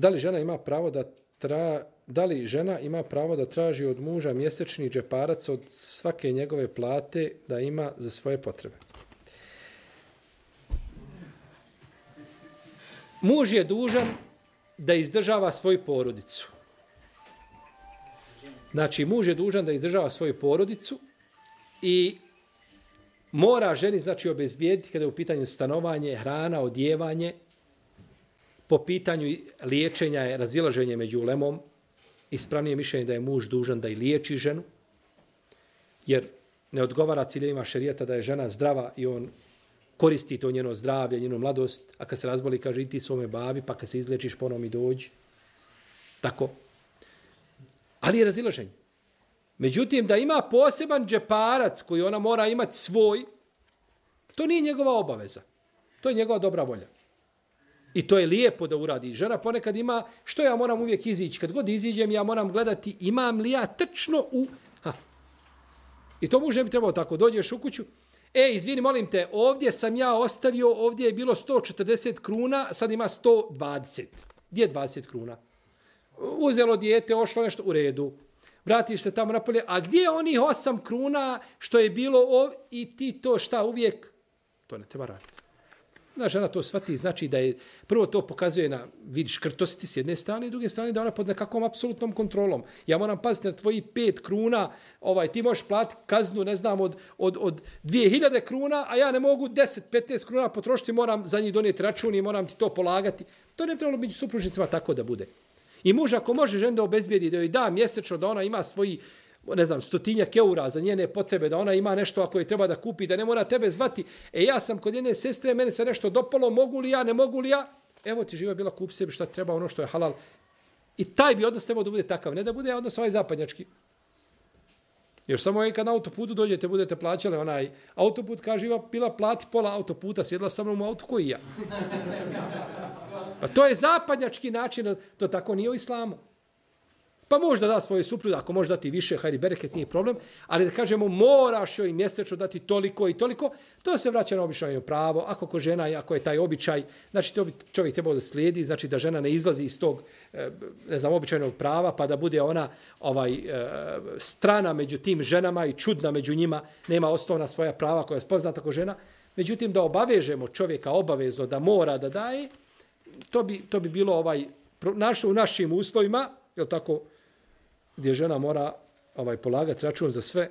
Da li žena ima pravo da traži od muža mjesečni džeparac od svake njegove plate da ima za svoje potrebe? Muž je dužan da izdržava svoju porodicu. Znači, muž je dužan da izdržava svoju porodicu i mora ženi, znači, obezbijediti kada je u pitanju stanovanje, hrana, odjevanje, po pitanju liječenja je razilaženje među ulemom, ispravnije mišljenje da je muž dužan da i liječi ženu, jer ne odgovara ciljevima šerijata da je žena zdrava i on koristi to njeno zdravlje, njenu mladost, a kad se razboli, kaže, i ti svome babi, pa kad se izlečiš, ponovo mi dođi. Tako. Ali je razilaženje. Međutim, da ima poseban džeparac koji ona mora imati svoj, to nije njegova obaveza. To je njegova dobra volja. I to je lijepo da uradi. Žena ponekad ima, što ja moram uvijek izići? Kad god iziđem, ja moram gledati imam li ja tačno u... I to muž ne bi trebalo tako. Dođeš u kuću, izvini, molim te, ovdje sam ja ostavio, ovdje je bilo 140 kruna, sad ima 120. Gdje je 20 kruna? Uzelo dijete, ošlo nešto u redu. Vratiš se tamo napolje, a gdje je onih 8 kruna što je bilo i ti to šta uvijek? To ne treba raditi. Žena to shvati, znači da je, prvo to pokazuje na vid škrtosti s jedne strane i druge strane da ona pod nekakvom apsolutnom kontrolom. Ja moram paziti na tvoji 5 kruna, ti možeš platiti kaznu, ne znam, od 2000 kruna, a ja ne mogu 10-15 kruna potrošiti, moram za njih donijeti račun i moram ti to polagati. To ne trebalo među supružnicima tako da bude. I muž ako može ženu da obezbijedi, da joj da mjesečno, da ona ima svoji, ne znam, 100 eura za njene potrebe, da ona ima nešto ako je treba da kupi, da ne mora tebe zvati. Ja sam kod jedne sestre, mene se nešto dopalo, mogu li ja, ne mogu li ja? Evo ti živa bila, kupi sebi šta treba, ono što je halal. I taj bi odnos trebao da bude takav, ne da bude odnos ovaj zapadnjački. Jer samo kad na autoputu dođete, budete plaćali onaj autoput, kaže živa bila plati pola autoputa, sjedla sa mnom u auto koji ja. Pa to je zapadnjački način, to tako nije u islamu. Pa možda da svoje supruge, ako može dati više, hajde bereket, nije problem, ali da kažemo moraš joj mjesečno dati toliko i toliko, to se vraća na običajno pravo. Ako ko žena, ako je taj običaj, znači to bi čovjek trebao da slijedi, znači da žena ne izlazi iz tog, ne znam, običajnog prava, pa da bude ona strana među tim ženama i čudna među njima, nema osnovna svoja prava koja je spoznata kao žena. Međutim, da obavežemo čovjeka obavezno da mora da daje, to bi bilo u našim uslovima, je tako, gdje žena mora polagati račun za sve,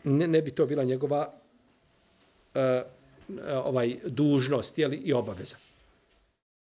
ne bi to bila njegova dužnost i obaveza.